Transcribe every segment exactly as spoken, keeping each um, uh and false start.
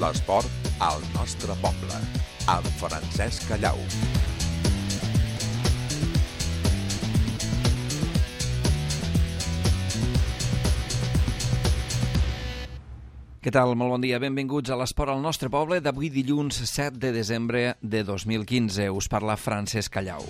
L'esport al nostre poble, amb Francesc Callau. Què tal? Molt bon dia. Benvinguts a l'Esport al nostre poble d'avui dilluns set de desembre de dos mil quinze. Us parla Francesc Callau.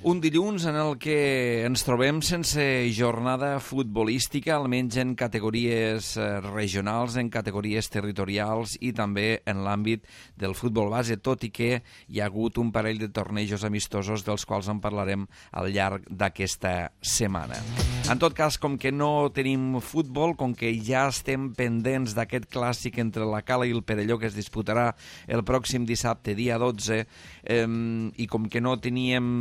Un dilluns en el que ens trobem sense jornada futbolística, almenys en categories regionals, en categories territorials i també en l'àmbit del futbol base, tot i que hi ha hagut un parell de tornejos amistosos dels quals en parlarem al llarg d'aquesta setmana. En tot cas, com que no tenim futbol, com que ja estem pendents d'aquest clàssic entre la Cala i el Perelló que es disputarà el pròxim dissabte, dia dotze, eh, i com que no teníem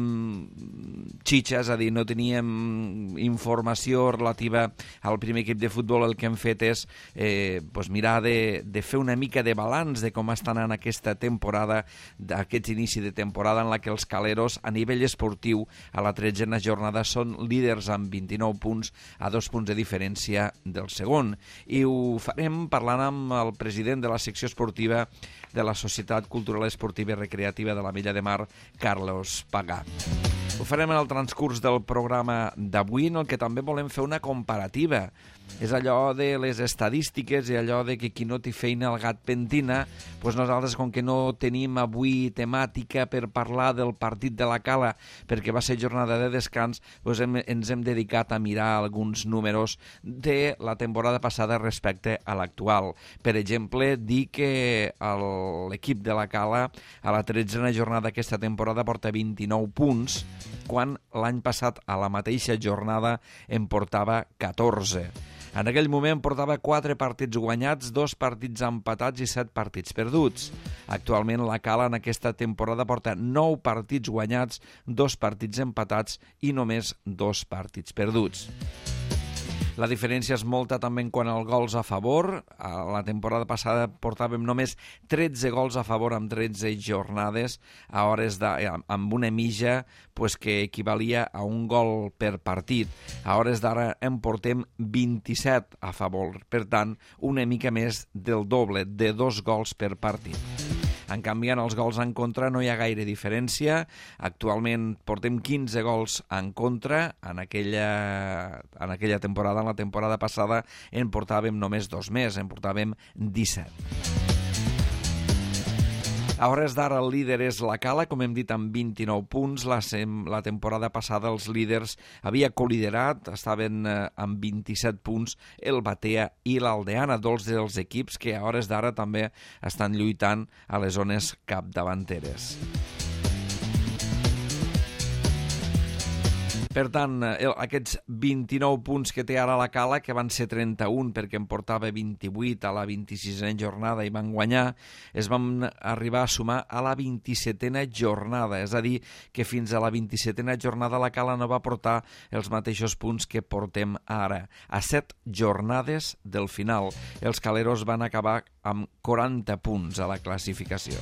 xitxa, és a dir, no teníem informació relativa al primer equip de futbol, el que hem fet és eh, pues mirar de, de fer una mica de balanç de com estan en aquesta temporada, d'aquest inici de temporada en la que els caleros a nivell esportiu a la tretzena jornada són líders amb vint-i-nou punts, a dos punts de diferència del segon. I ho farem parlant amb el president de la secció esportiva de la Societat Cultural Esportiva i Recreativa de l'Ametlla de Mar, Carlos Pagà. Ho farem en el transcurs del programa d'avui, en el que també volem fer una comparativa. És allò de les estadístiques i allò de que qui no té feina el gat pentina. Doncs nosaltres, com que no tenim avui temàtica per parlar del partit de la Cala, perquè va ser jornada de descans, doncs hem, ens hem dedicat a mirar alguns números de la temporada passada respecte a l'actual. Per exemple, dir que l'equip de la Cala a la tretzena jornada aquesta temporada porta vint-i-nou punts, quan l'any passat a la mateixa jornada en portava catorze. En aquell moment portava quatre partits guanyats, dos partits empatats i set partits perduts. Actualment la Cala en aquesta temporada porta nou partits guanyats, dos partits empatats i només dos partits perduts. La diferència és molta també en quant als gols a favor. A la temporada passada portàvem només tretze gols a favor amb tretze jornades, a hores de, amb una mitja pues, que equivalia a un gol per partit. A hores d'ara en portem vint-i-set a favor, per tant, una mica més del doble, de dos gols per partit. En canvi, en els gols en contra no hi ha gaire diferència. Actualment portem quinze gols en contra. En aquella, en aquella temporada, en la temporada passada, en portàvem només dos més, en portàvem disset. A hores d'ara el líder és la Cala, com hem dit, amb vint-i-nou punts. La, sem, la temporada passada els líders havia coliderat, estaven eh, amb vint-i-set punts el Batea i l'Aldeana, dos dels equips que a hores d'ara també estan lluitant a les zones capdavanteres. Per tant, aquests vint-i-nou punts que té ara la Cala, que van ser trenta-un perquè en portava vint-i-vuit a la vint-i-sisena jornada i van guanyar, es van arribar a sumar a la vint-i-setena jornada. És a dir, que fins a la vint-i-setena jornada la Cala no va portar els mateixos punts que portem ara. A set jornades del final, els caleros van acabar amb quaranta punts a la classificació.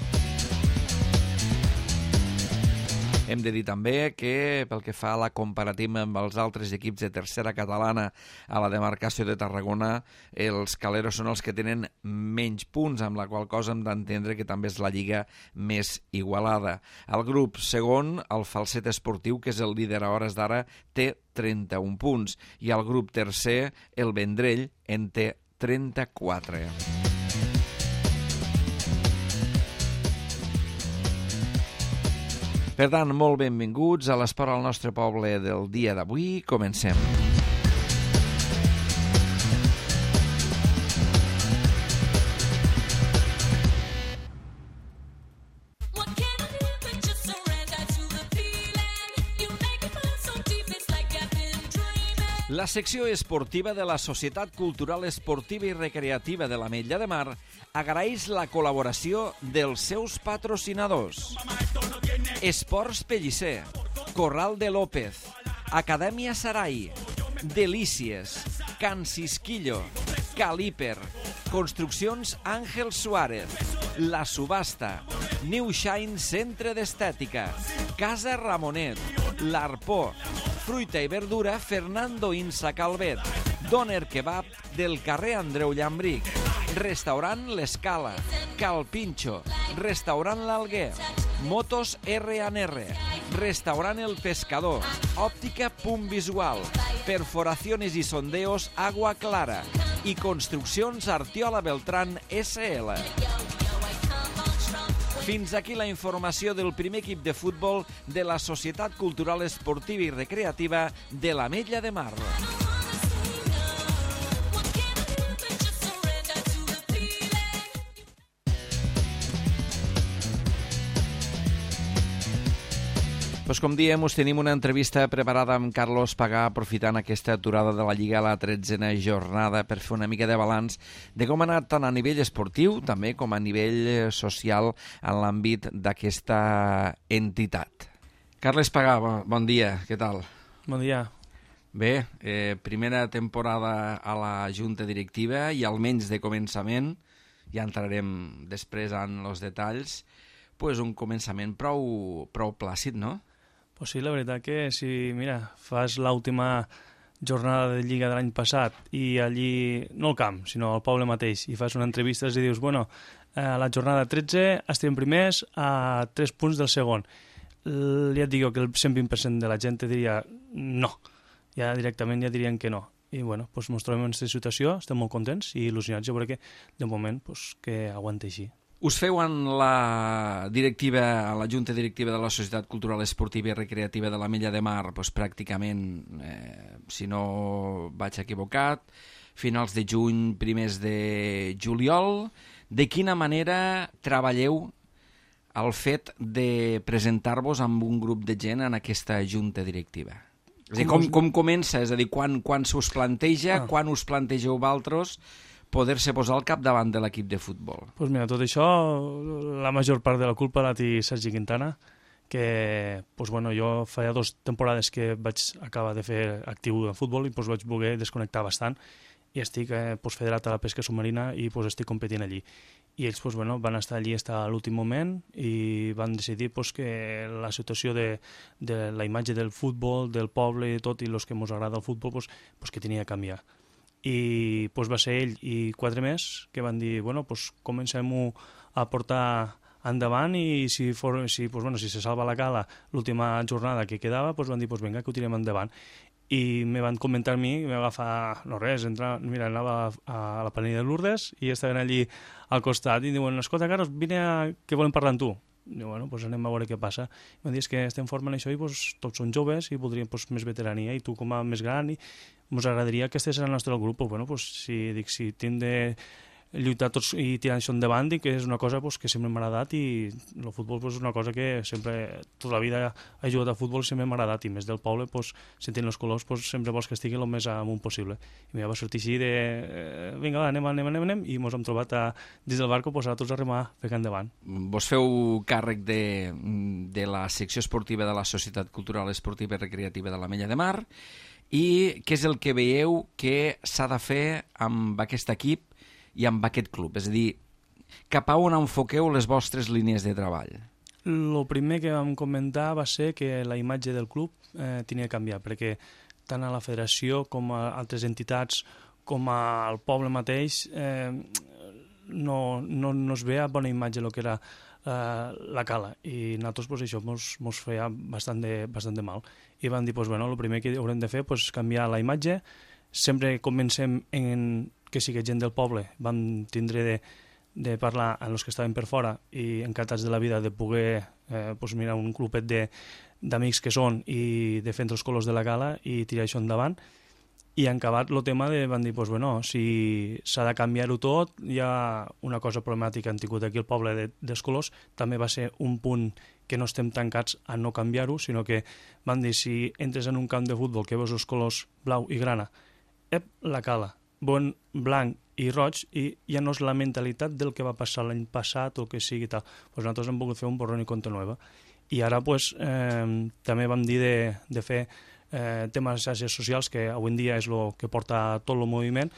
Hem de dir també que, pel que fa a la comparativa amb els altres equips de tercera catalana a la demarcació de Tarragona, els caleros són els que tenen menys punts, amb la qual cosa hem d'entendre que també és la lliga més igualada. El grup segon, el Falset Esportiu, que és el líder a hores d'ara, té trenta-un punts, i el grup tercer, el Vendrell, en té trenta-quatre. Per tant, molt benvinguts a l'Esport al nostre poble del dia d'avui. Comencem. La secció esportiva de la Societat Cultural Esportiva i Recreativa de l'Ametlla de Mar agraeix la col·laboració dels seus patrocinadors. Esports Pellicer, Corral de López, Acadèmia Sarai, Delícies, Can Cisquillo, Caliper, Construccions Àngel Suárez, La Subhasta, New Shine Centre d'Estètica, Casa Ramonet, L'Arpó, Fruita i verdura Fernando Insa Calvet, Doner Kebab del carrer Andreu Llambric, Restaurant L'Escala, Cal Pinxo, Restaurant L'Alguer, Motos R and R, Restaurant El Pescador, Òptica Punt Visual, Perforaciones y Sondeos Agua Clara i Construccions Artiola Beltrán S L. Fins aquí la informació del primer equip de futbol de la Societat Cultural Esportiva i Recreativa de l'Ametlla de Mar. Pues com diem, us tenim una entrevista preparada amb Carlos Pagà, aprofitant aquesta aturada de la Lliga a la tretzena jornada per fer una mica de balanç de com ha anat tant a nivell esportiu, també com a nivell social en l'àmbit d'aquesta entitat. Carles Pagà, bon dia, què tal? Bon dia. Bé, eh, primera temporada a la Junta Directiva i almenys de començament, ja entrarem després en els detalls, pues un començament prou, prou plàcid, no? Pues sí, la veritat que si, mira, fas l'última jornada de Lliga de l'any passat i allí, no al camp, sinó al poble mateix, i fas una entrevista i dius, bueno, a la jornada tretze estem primers a tres punts del segon. Ja et dic que el cent vint per cent de la gent te diria no, ja directament ja dirien que no. I bueno, pues ens trobem en aquesta situació, estem molt contents i il·lusionats, jo crec que de moment pues, que aguanta així. Us feu en la directiva, a la Junta Directiva de la Societat Cultural Esportiva i Recreativa de l'Ametlla de Mar, doncs pràcticament, eh, si no vaig equivocat, finals de juny, primers de juliol. De quina manera treballeu el fet de presentar-vos amb un grup de gent en aquesta Junta Directiva? És a dir, com, com comença? És a dir, quan, quan se us planteja, ah. quan us plantegeu vosaltres poder-se posar al capdavant de l'equip de futbol? Doncs pues mira, tot això, la major part de la culpa la té Sergi Quintana, que pues bueno, jo feia dues temporades que vaig acabar de fer actiu de futbol i pues vaig voler desconnectar bastant i estic eh, pues, federat a la pesca submarina i pues, estic competint allí. I ells pues, bueno, van estar allí fins a l'últim moment i van decidir pues, que la situació de, de la imatge del futbol, del poble i tot, i els que ens agrada el futbol, pues, pues, que tenia que canviar. I pues, va ser ell i quatre més que van dir, bueno, pues, comencem-ho a portar endavant i si, for, si, pues, bueno, si se salva la cala l'última jornada que quedava, pues, van dir, pues, vinga, que ho tirem endavant. I me van comentar a mi, me va agafar, no res, entrar, mira, anava a, a la Penella de Lourdes i estaven allí al costat i diuen, escolta, Carlos, vine a... que volem parlar amb tu. I diu, bueno, pues anem a veure què passa. I m'han dit que estem formant això i pues, tots són joves i voldríem pues, més veterania i tu com a més gran i ens agradaria que estigués al nostre grup. Pues, bueno, pues, si, dic, si tinc de lluitar tots i tirar això endavant, dic que és una cosa pues, que sempre m'ha agradat i el futbol pues, és una cosa que sempre, tota la vida he jugat a futbol i sempre m'ha agradat i més del poble, pues, sentint els colors, pues, sempre vols que estigui el més amunt possible. I m'ha va sortir així de eh, vinga, va, anem, anem, anem, anem i ens hem trobat a, dins del barco pues, a tots a remar fer endavant. Vos feu càrrec de, de la secció esportiva de la Societat Cultural Esportiva i Recreativa de l'Ametlla de Mar i què és el que veieu que s'ha de fer amb aquest equip i amb aquest club? És a dir, cap a on enfoqueu les vostres línies de treball? El primer que vam comentar va ser que la imatge del club eh, tenia que canviar, perquè tant a la federació com a altres entitats com al poble mateix eh, no, no, no es veia bona imatge el que era eh, la cala i nosaltres pues, això mos, mos feia bastant de, bastant de mal i vam dir, pues, bueno, el primer que haurem de fer és pues, canviar la imatge. Sempre comencem en que sigui gent del poble, vam tindre de, de parlar amb els que estaven per fora i encantats de la vida de poder eh, pues mirar un clubet d'amics que són i defendre els colors de la gala i tirar això endavant. I en acabat el tema de, van dir, pues, bueno, si s'ha de canviar-ho tot, hi ha una cosa problemàtica que han tingut aquí el poble de, dels colors, també va ser un punt que no estem tancats a no canviar-ho, sinó que van dir, si entres en un camp de futbol que veus els colors blau i grana, ep, la cala, bon blanc i roig, i ja no és la mentalitat del que va passar l'any passat o el que sigui tal. Pues nosaltres hem volgut fer un borrón i compte nova. I ara pues, eh, també vam dir de, de fer eh, temes de xarxes socials, que avui en dia és el que porta tot el moviment,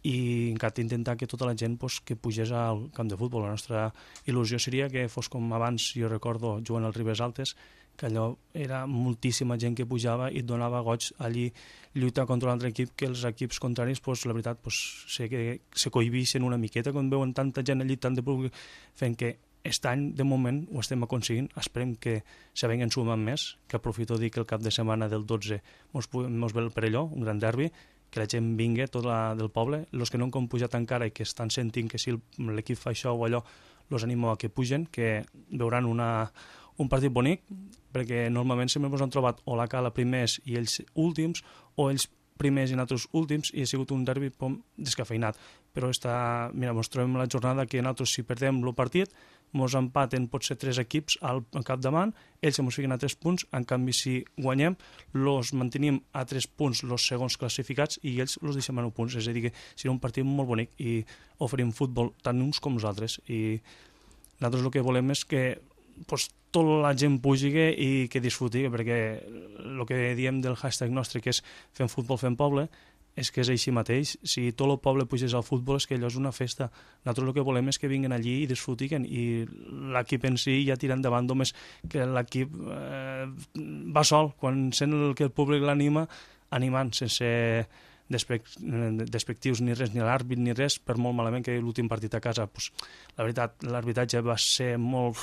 i encara intentar que tota la gent pues, que pugés al camp de futbol. La nostra il·lusió seria que fos com abans, jo recordo, jugant als Ribes Altes, que allò era moltíssima gent que pujava i et donava goig allí lluitar contra un altre equip, que els equips contraris, pues, la veritat, pues, sé que se cohibixen una miqueta quan veuen tanta gent allí, tant de públic, fent que aquest any, de moment, ho estem aconseguint. Esperem que se venguen sumant més, que aprofito dir que el cap de setmana del dotze mos, mos ve el Perelló, un gran derbi, que la gent vingui, tota del poble. Els que no han compujat encara i que estan sentint que si l'equip fa això o allò, els animo a que pugen, que veuran una, un partit bonic, perquè normalment sempre ens han trobat o la cala primers i ells últims, o ells primers i nosaltres últims, i ha sigut un derbi pom, descafeinat. Però està, mira, ens trobem la jornada que nosaltres, si perdem el partit, ens empaten potser tres equips al capdavant, ells ens fiquen a tres punts, en canvi si guanyem, els mantenim a tres punts els segons classificats i ells els deixem a nou punts, és a dir que serà un partit molt bonic i oferim futbol tant uns com nosaltres, i nosaltres el que volem és que pues, tota la gent pugi i que disfruti, perquè el que diem del hashtag nostre, que és fem futbol, fem poble, és que és així mateix. Si tot el poble pugés al futbol és que allò és una festa. Nosaltres el que volem és que vinguin allí i disfrutin, i l'equip en si ja tira endavant, només que l'equip eh, va sol, quan sent el que el públic l'anima, animant, sense despectius ni res, ni l'àrbit ni res, per molt malament que l'últim partit a casa, pues, la veritat, l'arbitratge va ser molt...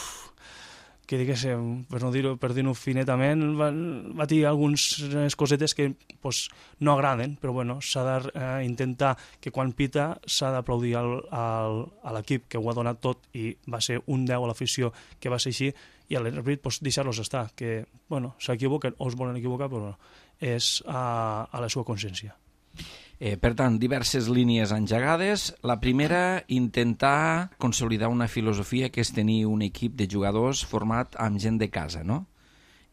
que diguéssim, per no dir-ho per dir-ho finetament, va, va dir algunes cosetes que pues, no agraden, però bueno, s'ha d'intentar eh, que quan pita s'ha d'aplaudir al, al, a l'equip que ho ha donat tot i va ser un deu a l'afició que va ser així, i a l'àrbit pues, deixar-los estar, que bueno, s'equivoquen o es volen equivocar, però bueno, és a, a la seva consciència. Eh, per tant, diverses línies engegades. La primera, intentar consolidar una filosofia que és tenir un equip de jugadors format amb gent de casa, no?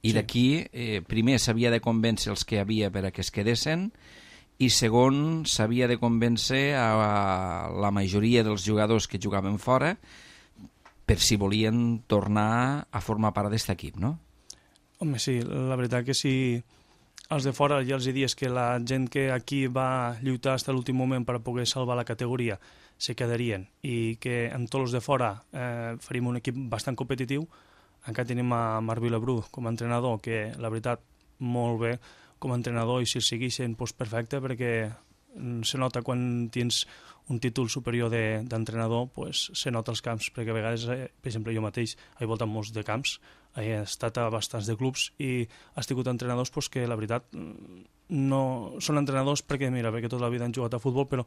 I sí. D'aquí, eh, primer s'havia de convèncer els que hi havia per a que es quedessin, i segon, s'havia de convèncer a la majoria dels jugadors que jugaven fora per si volien tornar a formar part d'aquest equip, no? Home, sí, la veritat que sí. Els de fora ja els dies que la gent que aquí va lluitar fins a l'últim moment per poder salvar la categoria se quedarien, i que amb tots els de fora eh, faríem un equip bastant competitiu. Encara tenim a Marc Vilabrú com a entrenador, que la veritat molt bé com a entrenador, i si el segueixen doncs perfecte, perquè se nota quan tens un títol superior d'entrenador, de, pues, se nota als camps, perquè a vegades, eh, per exemple, jo mateix he voltat molts de camps, he estat a bastants de clubs i has tingut entrenadors pues, que la veritat no són entrenadors perquè, mira, perquè tota la vida han jugat a futbol, però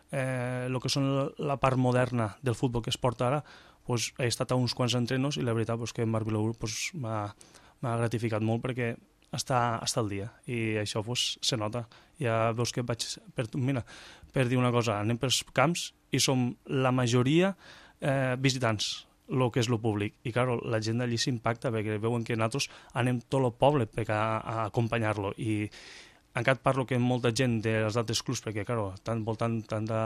eh, el que són la part moderna del futbol que es porta ara, pues, he estat a uns quants entrenos i la veritat pues, que Marc Vilaur pues, m'ha gratificat molt perquè està, està al dia, i això pues, se nota. Ja veus que vaig, per, mira, per dir una cosa, anem pels camps i som la majoria eh, visitants, el que és el públic, i clar, la gent d'allí s'impacta perquè veuen que nosaltres anem tot el poble per a, a acompanyar-lo, i encara parlo que molta gent dels altres clubs, perquè clar, tant voltant tant de,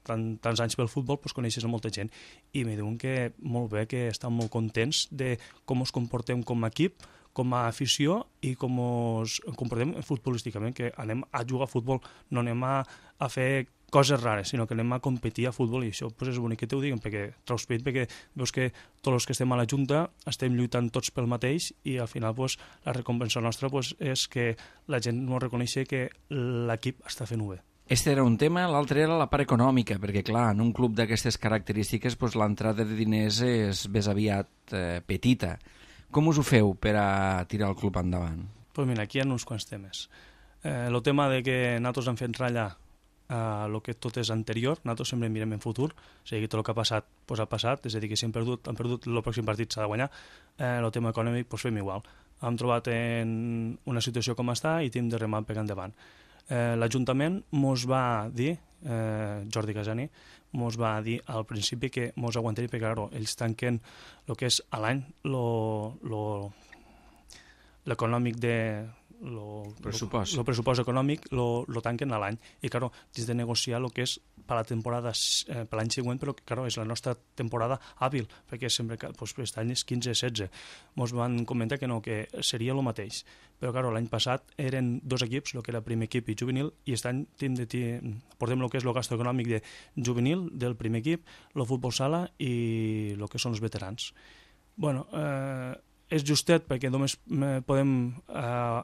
tant, tants anys pel futbol pues, coneixes molta gent, i me diuen que molt bé, que estan molt contents de com ens comportem com a equip, com a afició, i com ens comportem futbolísticament, que anem a jugar a futbol, no anem a, a fer coses rares, sinó que anem a competir a futbol, i això pues, és bonic que t'ho diguen, perquè traus pit, perquè veus que tots els que estem a la Junta estem lluitant tots pel mateix, i al final pues, la recompensa nostra pues, és que la gent no reconeixi que l'equip està fent-ho bé. Este era un tema, l'altre era la part econòmica, perquè clar, en un club d'aquestes característiques pues, l'entrada de diners és més aviat eh, petita. Com us ho feu per a tirar el club endavant? Pues mira, aquí hi ha uns quants temes. Eh, el tema de que nosaltres hem fet ratllar a el que tot és anterior, nosaltres sempre mirem en futur, o sigui, tot el que ha passat pues, ha passat, és a dir, que si hem perdut, han perdut, el pròxim partit s'ha de guanyar, eh, el tema econòmic pues, fem igual. Hem trobat en una situació com està i hem de remar per endavant. Eh, L'Ajuntament mos va dir, eh, Jordi Casani, mos va dir al principi que mos aguantaria, perquè claro, ells tanquen el que és a l'any l'econòmic de lo pressupost, lo, lo pressupost econòmic lo, lo tanquen a l'any, i claro, tens de negociar el que és per la temporada eh, per l'any següent, però claro, és la nostra temporada hàbil, perquè sempre pues, aquest any és quinze setze. Mos van comentar que no, que seria el mateix, però claro, l'any passat eren dos equips, el que era primer equip i juvenil, i aquest any de, de, portem el que és el gasto econòmic de juvenil del primer equip, el futbol sala i el que són els veterans. Bueno, eh, és justet perquè només podem eh,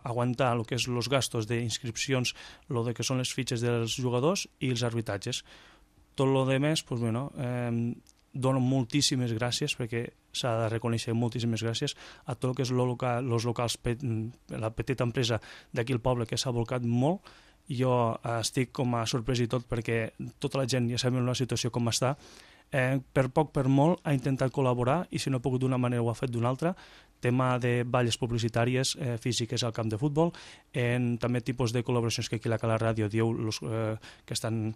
aguantar el que és els gastos d'inscripcions, el que són les fitxes dels jugadors i els arbitratges. Tot el que més, pues, bueno, eh, dono moltíssimes gràcies, perquè s'ha de reconèixer moltíssimes gràcies a tot el que és els local, locals, la petita empresa d'aquí al poble, que s'ha volcat molt. Jo estic com a sorprès i tot, perquè tota la gent ja sabem la situació com està. Eh, per poc, per molt, ha intentat col·laborar, i si no ha pogut d'una manera ho ha fet d'una altra. Tema de balles publicitàries eh, físiques al camp de futbol, en també tipus de col·laboracions que aquí a la Ràdio diu los, eh, que estan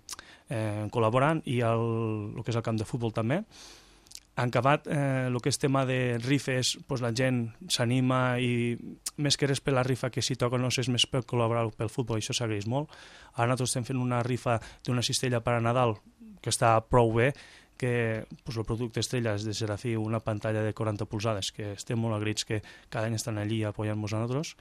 eh, col·laborant, i el, el que és el camp de futbol també. Han acabat eh, el que és tema de rifes, pues la gent s'anima, i més que res per la rifa que si toca no és més per col·laborar pel futbol, i això s'agraeix molt. Ara nosaltres estem fent una rifa d'una cistella per a Nadal que està prou bé, que pues, el producte estrella és de Serafí, una pantalla de quaranta polzades, que estem molt agraïts que cada any estan allí apoyant-nos a nosaltres.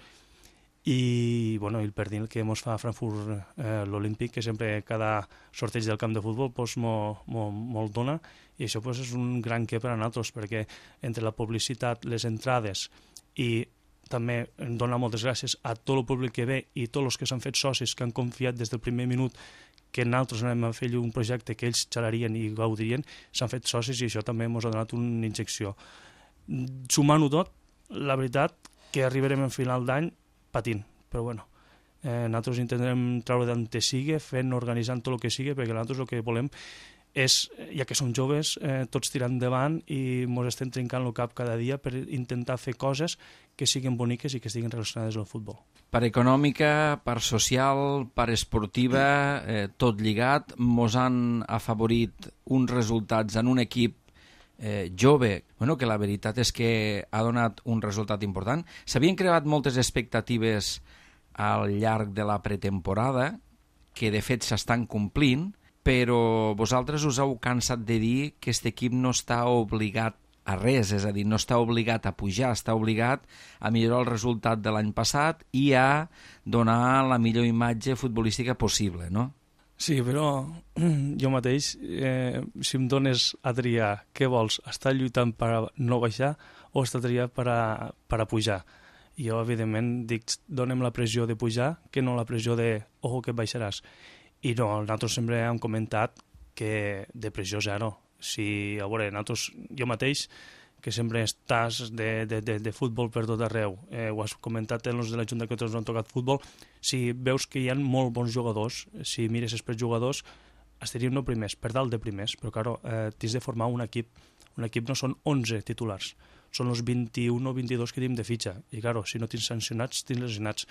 I, bueno, el perdil que ens fa a Frankfurt eh, l'Olímpic, que sempre cada sorteig del camp de futbol pues, molt mo, mo dona, i això pues, és un gran què per a nosaltres, perquè entre la publicitat, les entrades, i també donar moltes gràcies a tot el públic que ve i tots els que s'han fet socis, que han confiat des del primer minut que nosaltres anem a fer un projecte que ells xalarien i gaudirien, s'han fet socis, i això també ens ha donat una injecció. Sumant-ho tot, la veritat que arribarem al final d'any patint, però bueno, eh, nosaltres intentarem treure d'on sigui, fent, organitzant tot el que sigui, perquè nosaltres el que volem és, ja que som joves, eh, tots tirant endavant, i ens estem trencant el cap cada dia per intentar fer coses que siguin boniques i que estiguin relacionades amb el futbol. Part econòmica, part social, part esportiva, eh, tot lligat, mos han afavorit uns resultats en un equip eh, jove, bueno, que la veritat és que ha donat un resultat important. S'havien creat moltes expectatives al llarg de la pretemporada, que de fet s'estan complint, però vosaltres us heu cansat de dir que aquest equip no està obligat a res, és a dir, no està obligat a pujar, està obligat a millorar el resultat de l'any passat i a donar la millor imatge futbolística possible, no? Sí, però jo mateix, eh, si em dones a triar què vols, estar lluitant per a no baixar o estar triant per a, per a pujar. Jo, evidentment, dic, donem la pressió de pujar que no la pressió de, ojo, que baixaràs. I no, nosaltres sempre hem comentat que de pressió zero. Si, a veure, nosaltres, jo mateix, que sempre estàs de, de, de, de futbol per tot arreu, eh, ho has comentat en els de la Junta que tots han tocat futbol, si veus que hi ha molt bons jugadors, si mires els jugadors, estaríem no primers, per dalt de primers, però claro, eh, tens de formar un equip. Un equip no són onze titulars, són els vint-i-un o vint-i-dos que tenim de fitxa, i claro, si no tens sancionats, tens lesionats.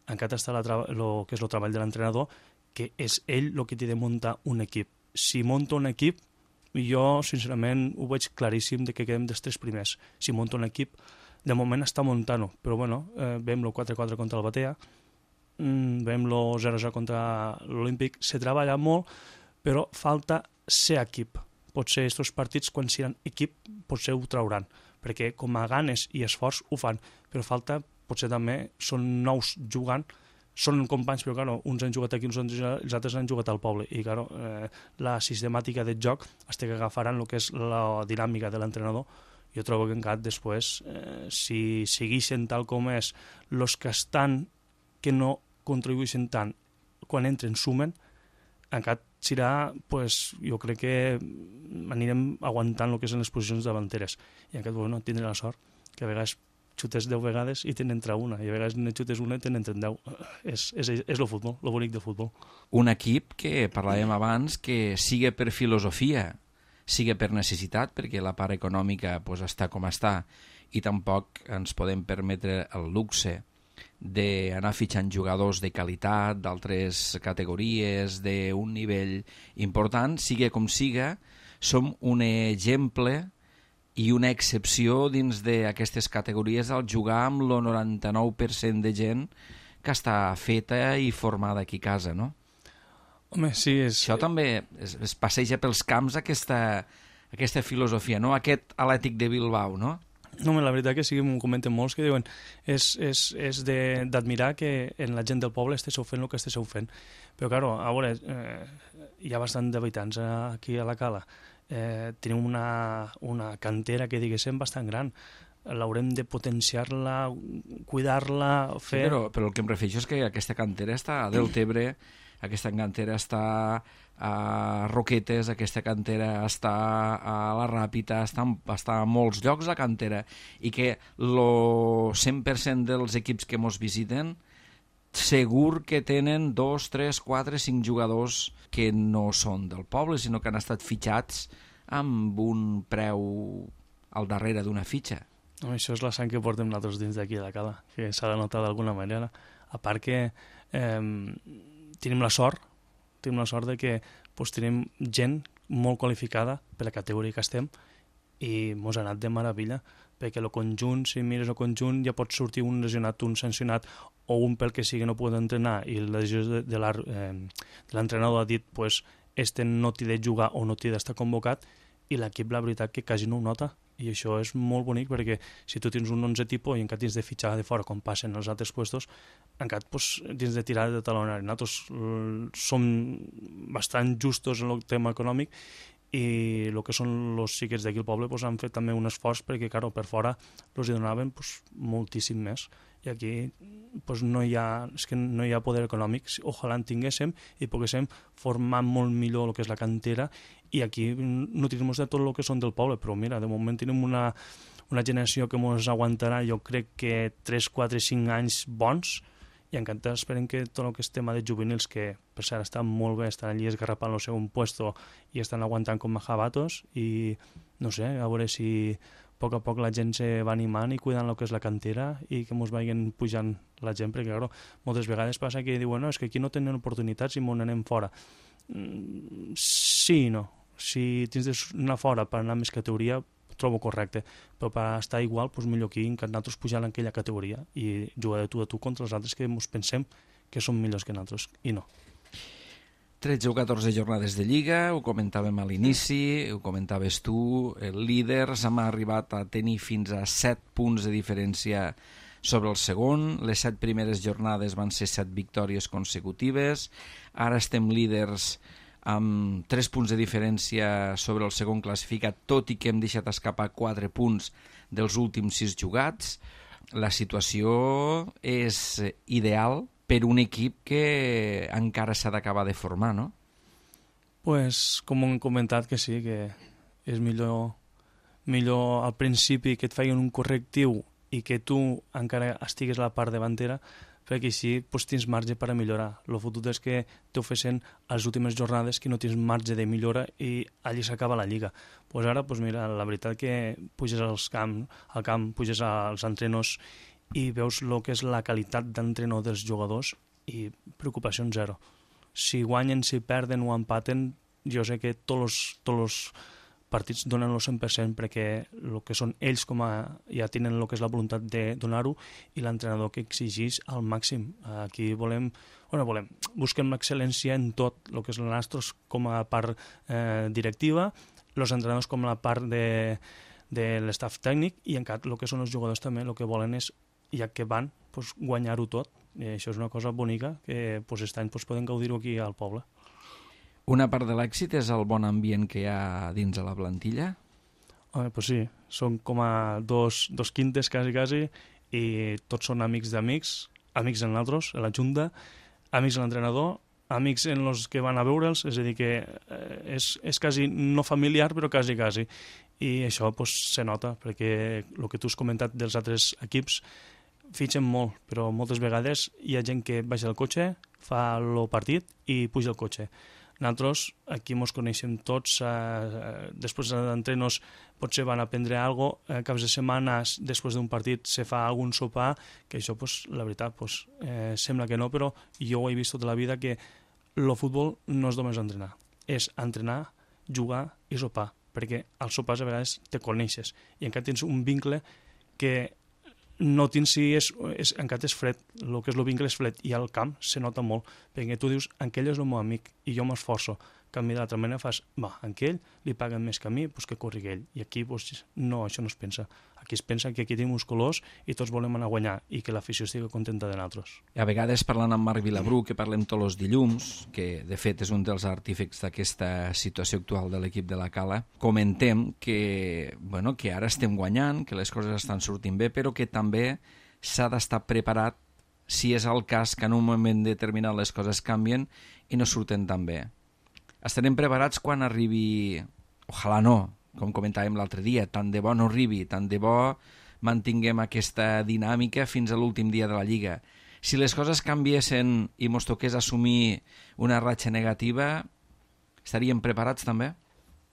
Encara està el que és el treball de l'entrenador, que és ell el que té de muntar un equip. Si monta un equip, jo, sincerament, ho veig claríssim de que quedem dels tres primers. Si monta un equip, de moment està muntant-ho, però bueno, eh, veiem el quatre quatre contra el Batea, mm, veiem el zero zero contra l'Olímpic, se treballa molt, però falta ser equip. Potser aquests partits, quan seran equip, potser ho trauran, perquè com a ganes i esforç ho fan, però falta, potser també, són nous jugant, són companys, però claro, uns han jugat aquí, uns han, els altres han jugat al poble, i claro, eh, la sistemàtica del joc es té que agafar en el que és la dinàmica de l'entrenador. Jo trobo que encara després, eh, si segueixen tal com és, els que estan, que no contribueixen tant, quan entren, sumen, encara serà, pues, jo crec que anirem aguantant el que són les posicions davanteres, i encara, bueno, tindré la sort, que a vegades xutes deu vegades i tenen entra una, i a vegades ne xutes una i tenen entre deu. És, és, és el futbol, el bonic del futbol. Un equip que, parlàvem abans, que siga per filosofia, siga per necessitat, perquè la part econòmica pues, està com està, i tampoc ens podem permetre el luxe d'anar fitxant jugadors de qualitat, d'altres categories, d'un nivell important, siga com siga, som un exemple i una excepció dins d'aquestes categories al jugar amb el noranta-nou per cent de gent que està feta i formada aquí a casa, no? Home, sí, és... Això també es, es passeja pels camps aquesta, aquesta filosofia, no? Aquest Atlètic de Bilbao, no? No, la veritat que sí, m'ho comenten molts que diuen és, és, és d'admirar que en la gent del poble esteu fent el que esteu fent. Però, claro, a veure, eh, hi ha bastant d'habitants aquí a la Cala. Eh, tenim una, una cantera que diguéssim bastant gran. l'haurem de potenciar-la, cuidar-la, fer... Sí, però, però el que em refereixo és que aquesta cantera està a Deltebre, aquesta cantera està a Roquetes, aquesta cantera està a la Ràpita, està, està a molts llocs la cantera, i que el cent per cent dels equips que mos visiten segur que tenen dos, tres, quatre, cinc jugadors que no són del poble, sinó que han estat fitxats amb un preu al darrere d'una fitxa. No, això és la sang que portem nosaltres dins d'aquí de la cala, que s'ha de notar d'alguna manera. A part que eh, tenim la sort, tenim la sort de que pues, tenim gent molt qualificada per la categoria que estem i mos ha anat de meravella, perquè el conjunt, si mires el conjunt, ja pot sortir un lesionat, un sancionat, o un pel que sigui no pot entrenar, i la decisió de, de l'entrenador ha dit pues, este no t'hi de jugar o no t'hi d'estar convocat, i l'equip la veritat que quasi no ho nota, i això és molt bonic perquè si tu tens un onze tipus i encara tens de fitxar de fora com passen els altres puestos, encara pues, tens de tirar de talonari. Nosaltres uh, som bastant justos en el tema econòmic i el que són els xiquets d'aquí al poble pues, han fet també un esforç perquè claro, per fora els hi donaven pues, moltíssim més, i aquí pues, no, hi ha, és que no hi ha poder econòmic. Ojalà en tinguéssim i poguéssim formar molt millor el que és la cantera, i aquí no tenim de tot el que són del poble, però mira, de moment tenim una, una generació que ens aguantarà jo crec que tres, quatre, cinc anys bons, i encara esperem que tot el que és tema de juvenils, que per cert estan molt bé, estan allí esgarrapant el seu puesto i estan aguantant com a jabatos, i no sé, a veure si a poc a poc la gent se va animant i cuidant el que és la cantera i que ens vagin pujant la gent, perquè claro, moltes vegades passa que diuen no, és que aquí no tenen oportunitats i m'ho anem fora. Mm, sí i no. Si tens d'anar fora per anar a més categoria, trobo correcte, però per estar igual, doncs millor aquí, que nosaltres pujar en aquella categoria i jugar de tu a tu contra els altres que ens pensem que són millors que nosaltres, i no. tretze o catorze jornades de Lliga, ho comentàvem a l'inici, ho comentaves tu, el líders, hem arribat a tenir fins a set punts de diferència sobre el segon, les set primeres jornades van ser set victòries consecutives, ara estem líders amb tres punts de diferència sobre el segon classificat, tot i que hem deixat escapar quatre punts dels últims sis jugats. La situació és ideal per un equip que encara s'ha d'acabar de formar, no? Pues, com hem comentat que sí, que és millor, millor al principi que et feien un correctiu i que tu encara estigues a la part davantera, perquè així pues, tens marge per a millorar. El fotut és que t'ofrecen a les últimes jornades que no tens marge de millora i allí s'acaba la Lliga. Pues ara, pues mira, la veritat que puges als camp, al camp, puges als entrenors i veus el que és la qualitat d'entrenor dels jugadors i preocupació zero. Si guanyen, si perden o empaten, jo sé que tots els, tots els partits donen el cent per cent perquè el que són ells com a, ja tenen el que és la voluntat de donar-ho i l'entrenador que exigeix al màxim. Aquí volem, bueno, volem, busquem l'excel·lència en tot el que és el nostre com a part eh, directiva, els entrenadors com a part de, de l'estaf tècnic i encara el que són els jugadors també el que volen és, ja que van, pues, guanyar-ho tot. I això és una cosa bonica que pues, aquest any pues, podem gaudir-ho aquí al poble. Una part de l'èxit és el bon ambient que hi ha dins de la plantilla? Home, pues sí, són com a dos, dos quintes quasi, quasi, i tots són amics d'amics, amics en nosaltres, en la junta, amics en l'entrenador, amics en els que van a veure'ls, és a dir que eh, és, és quasi no familiar, però quasi, quasi. I això pues, se nota, perquè el que tu has comentat dels altres equips fitxen molt, però moltes vegades hi ha gent que baixa el cotxe, fa el partit i puja el cotxe. Nosaltres aquí ens coneixem tots, eh, després d'entrenos potser van a prendre alguna cosa, eh, caps de setmanes després d'un partit se fa algun sopar, que això, pues, la veritat, pues, eh, sembla que no, però jo ho he vist tota la vida que el futbol no és només entrenar, és entrenar, jugar i sopar, perquè als sopars a vegades te coneixes i encara tens un vincle que no tens si és, és, encara és fred, el que és el vincle és fred i al camp se nota molt, perquè tu dius, aquell és el meu amic i jo m'esforço, canvi d'altra manera, fas, va, a aquell li paguen més que a mi, doncs que corri ell. I aquí, doncs, no, això no es pensa. Aquí es pensa que aquí tenim uns colors i tots volem anar a guanyar i que l'afició estigui contenta de nosaltres. A vegades, parlant amb Marc Vilabrú, que parlem tots els dilluns, que de fet és un dels artífecs d'aquesta situació actual de l'equip de la Cala, comentem que, bueno, que ara estem guanyant, que les coses estan sortint bé, però que també s'ha d'estar preparat si és el cas que en un moment determinat les coses canvien i no surten tan bé. Estarem preparats quan arribi, ojalà no, com comentàvem l'altre dia, tant de bo no arribi, tant de bo mantinguem aquesta dinàmica fins a l'últim dia de la Lliga. Si les coses canviessin i mos toqués assumir una ratxa negativa, estaríem preparats també?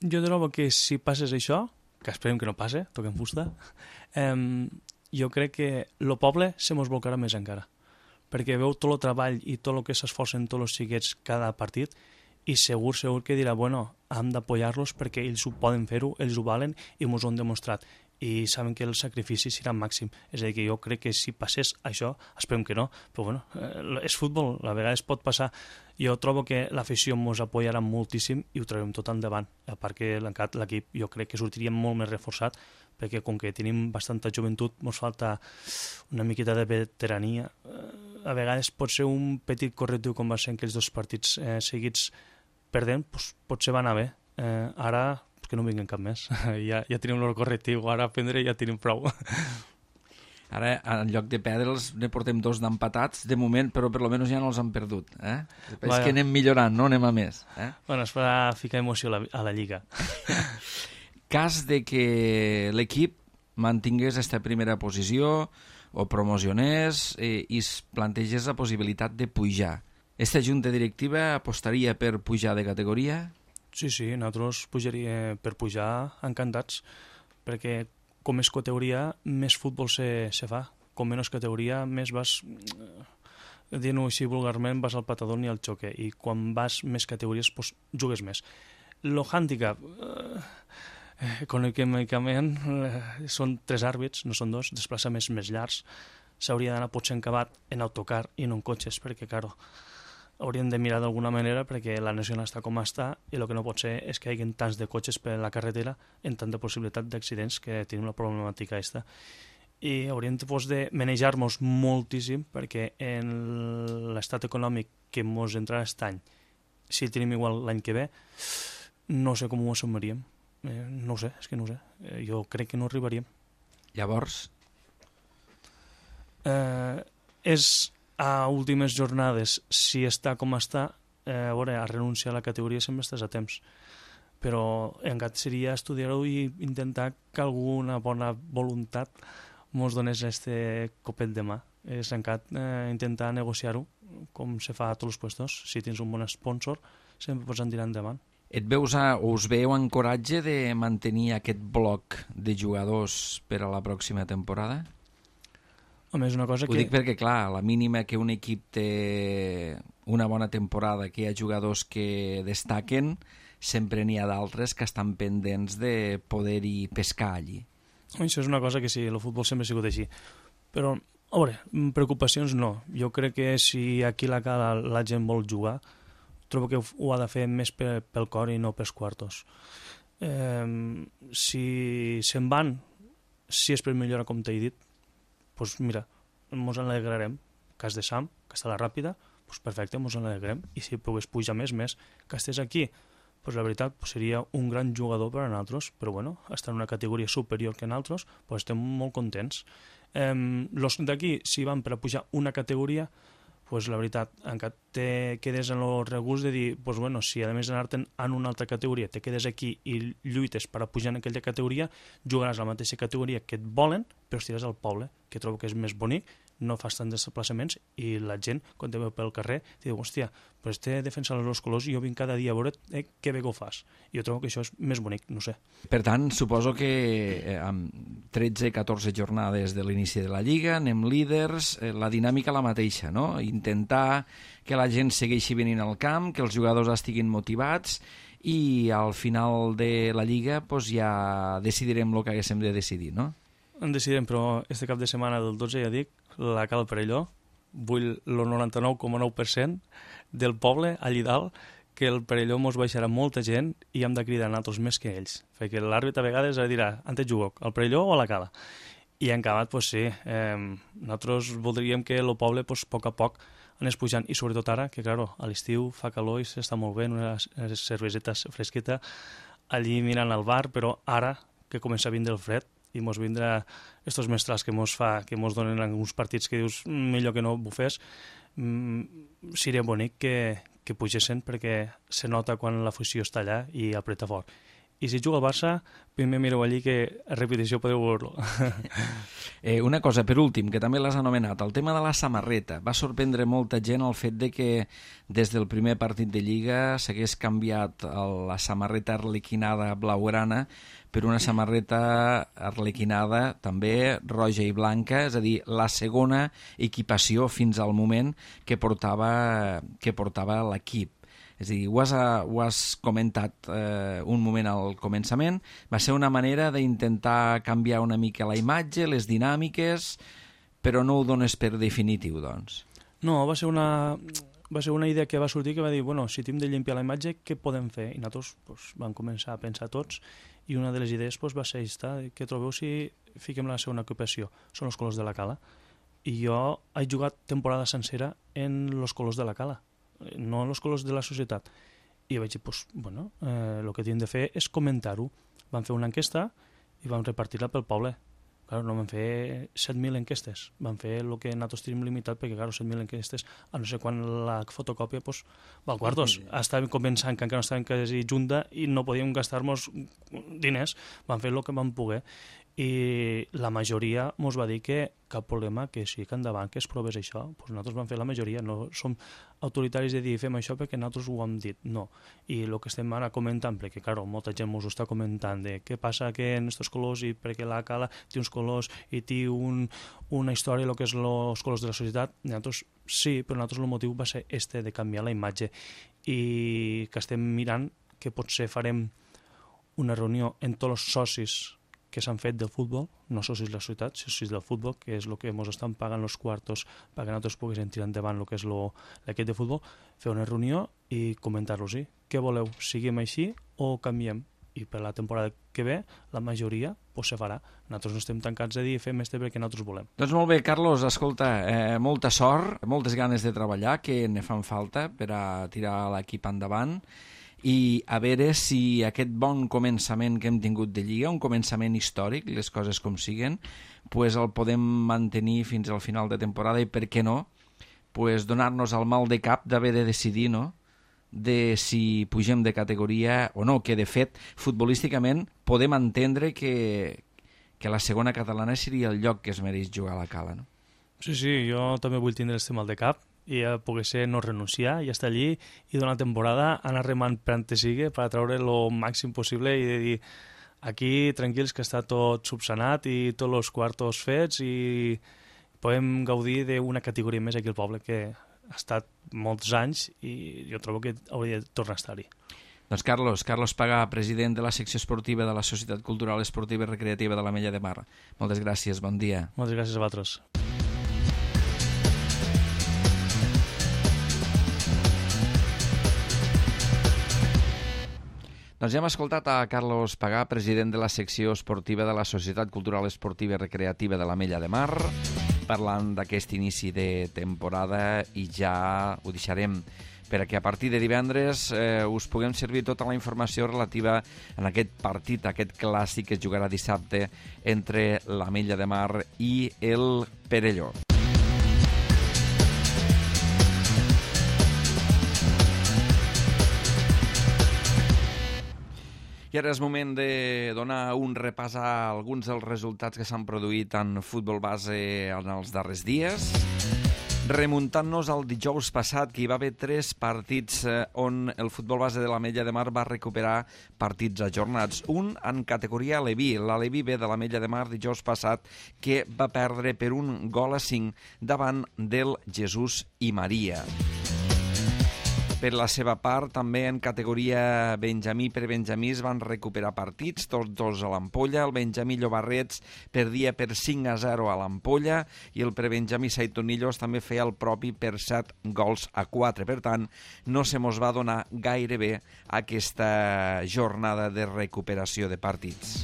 Jo trobo que si passés això, que esperem que no passe, toquem fusta, eh, jo crec que el poble se mos volcarà més encara, perquè veu tot el treball i tot el que s'esforcen tots els xiquets cada partit i segur, segur que dirà, bueno, hem d'apoyar-los perquè ells ho poden fer-ho, ells ho valen i ens ho han demostrat i saben que el sacrifici serà màxim. És a dir, que jo crec que si passés això, esperem que no, però bueno, eh, és futbol, a vegades pot passar. Jo trobo que l'afició ens apoyarà moltíssim i ho traurem tot endavant, a part que l'equip jo crec que sortiria molt més reforçat perquè com que tenim bastanta joventut ens falta una miqueta de veterania. A vegades pot ser un petit correctiu com va ser en aquells dos partits eh, seguits perdent, doncs potser va anar bé. Eh, ara pues que no vinguen cap més. ja, ja tenim el correctiu, ara a prendre ja tenim prou. Ara, en lloc de perdre'ls, ne portem dos d'empatats, de moment, però per lo menos ja no els han perdut. Eh? És que anem millorant, no anem a més. Eh? Bueno, es farà ficar emoció a la, a la Lliga. Cas de que l'equip mantingués aquesta primera posició o promocionés eh, i es plantegés la possibilitat de pujar. Esta junta directiva apostaria per pujar de categoria? Sí, sí, nosaltres pujaria per pujar encantats, perquè com més categoria, més futbol se, se fa. Com menys categoria, més vas, dient-ho així vulgarment, vas al patador ni al xoque, i quan vas més categories, pues, jugues més. Lo handicap, eh, econòmicament, eh, són tres àrbits, no són dos, desplaçaments més llargs, s'hauria d'anar potser encabat en autocar i no en cotxes, perquè, claro, hauríem de mirar d'alguna manera perquè la nacional està com està i el que no pot ser és que hi hagi tants de cotxes per la carretera en tanta possibilitat d'accidents que tenim la problemàtica aquesta. I hauríem pues, de manejar-nos moltíssim perquè en l'estat econòmic que ens entrarà aquest any, si el tenim igual l'any que ve, no sé com ho assumiríem. Eh, no ho sé, és que no ho sé. Eh, jo crec que no arribaríem. Llavors? Eh, és a últimes jornades, si està com està, eh, a veure, a renunciar a la categoria sempre estàs a temps. Però encara seria estudiar-ho i intentar que alguna bona voluntat ens donés este copet de mà. És encara eh, intentar negociar-ho, com se fa a tots els puestos. Si tens un bon sponsor, sempre pots tirar endavant. Et veus a, o us veieu en coratge de mantenir aquest bloc de jugadors per a la pròxima temporada? Home, és una cosa Ho que... dic perquè, clar, a la mínima que un equip té una bona temporada, que hi ha jugadors que destaquen, sempre n'hi ha d'altres que estan pendents de poder-hi pescar allí. Això és una cosa que sí, el futbol sempre ha sigut així. Però, a veure, preocupacions no. Jo crec que si aquí la, la, la gent vol jugar, trobo que ho ha de fer més pel, pel cor i no pels quartos. Eh, si se'n van, si és per millorar, com t'he dit, doncs mira, ens alegrarem. Cas de Sam, que està a la ràpida, doncs perfecte, ens alegrarem. I si pogués pujar més, més, que estés aquí, doncs la veritat doncs seria un gran jugador per a nosaltres, però bueno, estar en una categoria superior que nosaltres, doncs estem molt contents. Eh, los d'aquí, si van per a pujar una categoria, pues la veritat, encara te quedes en el regust de dir, pues bueno, si a més d'anar-te'n en una altra categoria te quedes aquí i lluites per a pujar en aquella categoria, jugaràs a la mateixa categoria que et volen, però estiràs al poble, que trobo que és més bonic, no fas tants desplaçaments i la gent, quan te veu pel carrer, te diu, hòstia, pues te defensa els colors i jo vinc cada dia a veure eh, què bé que ho fas. I jo trobo que això és més bonic, no sé. Per tant, suposo que eh, amb tretze catorze jornades de l'inici de la Lliga, anem líders, eh, la dinàmica la mateixa, no? Intentar que la gent segueixi venint al camp, que els jugadors estiguin motivats i al final de la Lliga pues, ja decidirem el que haguéssim de decidir, no? En decidirem, però este cap de setmana del dotze, ja dic, la Cal Perelló, vull el noranta-nou coma nou per cent del poble allí dalt, que el Perelló mos baixarà molta gent i hem de cridar nosaltres més que ells, perquè l'àrbit a vegades dirà, on te jugo, al Perelló o a la Cala? I en acabat, pues sí, eh, nosaltres voldríem que el poble, pues, a poc a poc, anés pujant, i sobretot ara, que claro, a l'estiu fa calor i s'està molt bé, una cerveseta fresqueta, allí mirant al bar, però ara que comença a vindre el fred i mos vindrà estos mestrals que mos fa, que mos donen alguns partits que dius millor que no bufés, mm, seria bonic que, que pugessin perquè se nota quan l'afició està allà i apreta fort. I si juga el Barça, primer mireu allí que a repetició podeu veure-lo. eh, una cosa, per últim, que també l'has anomenat, el tema de la samarreta. Va sorprendre molta gent el fet de que des del primer partit de Lliga s'hagués canviat la samarreta arlequinada blaugrana per una samarreta arlequinada també roja i blanca, és a dir, la segona equipació fins al moment que portava, que portava l'equip. És a dir, ho has, ho has comentat eh, un moment al començament, va ser una manera d'intentar canviar una mica la imatge, les dinàmiques, però no ho dones per definitiu, doncs. No, va ser una, va ser una idea que va sortir que va dir, bueno, si hem de llimpiar la imatge, què podem fer? I nosaltres pues, vam començar a pensar tots, i una de les idees pues, va ser aquesta, què trobeu si fiquem la segona ocupació? Són els colors de la Cala. I jo he jugat temporada sencera en els colors de la Cala, no en els colors de la societat. I vaig dir, pues, bueno, eh, el que hem de fer és comentar-ho. Vam fer una enquesta i vam repartir-la pel poble. Claro, no vam fer set mil enquestes, vam fer el que nosaltres tenim limitat, perquè, claro, set mil enquestes, a no sé quan la fotocòpia, pues, val quartos. Estàvem començant, que encara no estàvem quasi junta, i no podíem gastar-nos diners, vam fer el que vam poder. I la majoria mos va dir que cap problema, que sí, que endavant, que es provés això. Pues nosaltres vam fer la majoria, no som autoritaris de dir fem això perquè nosaltres ho hem dit, no. I el que estem ara comentant, perquè claro, molta gent mos ho està comentant, de què passa que en aquests colors, i perquè la Cala té uns colors i té un, una història, el que és els colors de la societat, nosaltres sí, però nosaltres el motiu va ser este, de canviar la imatge, i que estem mirant que potser farem una reunió en tots els socis que s'han fet del futbol, no socis de la societat, socis del futbol, que és el que ens estan pagant els quartos perquè nosaltres poguéssim tirar endavant el que és l'equip de futbol, fer una reunió i comentar-los-hi. Què voleu? Siguem així o canviem? I per la temporada que ve, la majoria pues, se farà. Nosaltres no estem tancats a dir fem este perquè nosaltres volem. Doncs molt bé, Carlos, escolta, eh, molta sort, moltes ganes de treballar, que ne fan falta per a tirar l'equip endavant, i a veure si aquest bon començament que hem tingut de Lliga, un començament històric, les coses com siguen, pues el podem mantenir fins al final de temporada i, per què no, pues donar-nos el mal de cap d'haver de decidir, no?, de si pugem de categoria o no, que de fet, futbolísticament, podem entendre que, que la segona catalana seria el lloc que es mereix jugar a la Cala, no? Sí, sí, jo també vull tindre este mal de cap, i a poder ser no renunciar i estar allí i donar temporada, anar remant per on te sigue per treure el màxim possible i de dir aquí tranquils que està tot subsanat i tots els quartos fets i podem gaudir d'una categoria més aquí al poble que ha estat molts anys i jo trobo que hauria de tornar a estar-hi. Doncs Carlos, Carlos Pagà, president de la secció esportiva de la Societat Cultural Esportiva i Recreativa de l'Ametlla de Mar. Moltes gràcies, bon dia. Moltes gràcies a vosaltres. Doncs ja hem escoltat a Carlos Pagà, president de la secció esportiva de la Societat Cultural Esportiva i Recreativa de l'Ametlla de Mar, parlant d'aquest inici de temporada, i ja ho deixarem perquè a partir de divendres eh, us puguem servir tota la informació relativa en aquest partit, aquest clàssic que es jugarà dissabte entre l'Ametlla de Mar i el Perelló. I ara és moment de donar un repàs a alguns dels resultats que s'han produït en futbol base en els darrers dies. Remuntant-nos al dijous passat, que hi va haver tres partits on el futbol base de l'Ametlla de Mar va recuperar partits ajornats. Un en categoria Aleví, l'Aleví B de l'Ametlla de Mar dijous passat, que va perdre per un gol a cinc davant del Jesús i Maria. Per la seva part, també en categoria Benjamí per Benjamí es van recuperar partits, tots dos a l'Ampolla. El Benjamí Llobarrets perdia per cinc a zero a l'Ampolla i el prebenjamí Saitonillos també feia el propi per set gols a quatre. Per tant, no se mos va donar gaire bé aquesta jornada de recuperació de partits.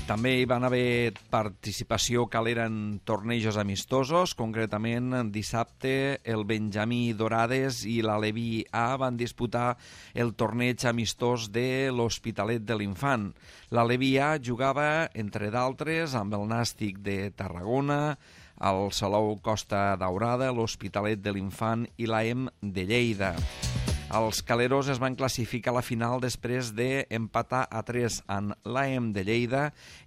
També hi van haver participació calera en tornejos amistosos. Concretament, dissabte el Benjamí Dorades i l'Aleví A van disputar el torneig amistós de l'Hospitalet de l'Infant. L'Aleví A jugava, entre d'altres, amb el Nàstic de Tarragona, el Salou Costa Daurada, l'Hospitalet de l'Infant i l'A E M de Lleida. Els caleros es van classificar a la final després d'empatar a tres en l'A E M de Lleida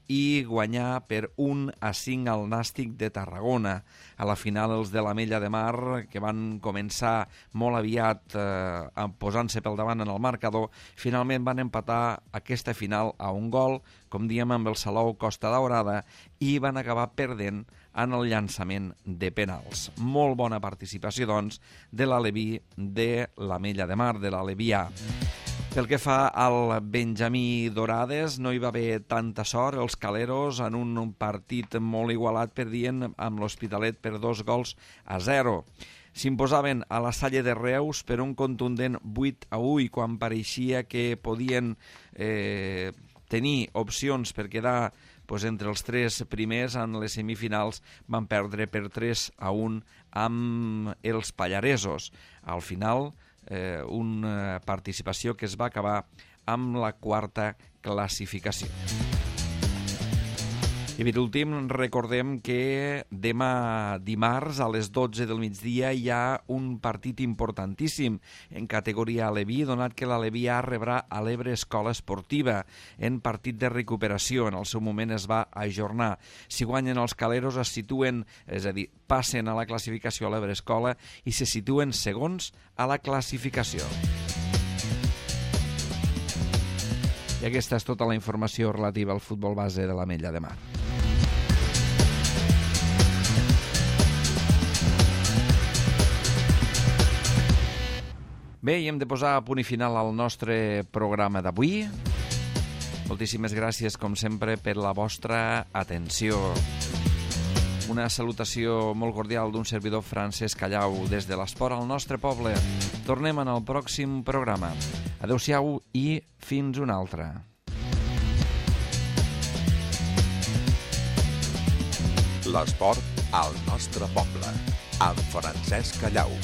i guanyar per un a cinc al Nàstic de Tarragona. A la final els de l'Ametlla de Mar, que van començar molt aviat eh, posant-se pel davant en el marcador, finalment van empatar aquesta final a un gol, com diem, amb el Salou Costa Daurada, i van acabar perdent en el llançament de penals. Molt bona participació, doncs, de l'Aleví de l'Ametlla de Mar, de l'Aleví A. Pel que fa al Benjamí Dorades, no hi va haver tanta sort. Els caleros, en un partit molt igualat, perdien amb l'Hospitalet per dos gols a zero. S'imposaven a la Salle de Reus per un contundent vuit a u i quan pareixia que podien eh, tenir opcions per quedar pues, entre els tres primers en les semifinals, van perdre per tres a un amb els pallaresos. Al final, eh, una participació que es va acabar amb la quarta classificació. I per últim, recordem que demà dimarts a les dotze del migdia hi ha un partit importantíssim en categoria Aleví, donat que l'Aleví A rebrà a l'Ebre Escola Esportiva en partit de recuperació. En el seu moment es va ajornar. Si guanyen els caleros es situen, és a dir, passen a la classificació a l'Ebre Escola i se situen segons a la classificació. I aquesta és tota la informació relativa al futbol base de l'Ametlla de Mar. Bé, i hem de posar a punt i final al nostre programa d'avui. Moltíssimes gràcies, com sempre, per la vostra atenció. Una salutació molt cordial d'un servidor Francesc Callau des de l'esport al nostre poble. Tornem en el pròxim programa. Adéu-siau i fins una altra. L'esport al nostre poble, amb Francesc Callau.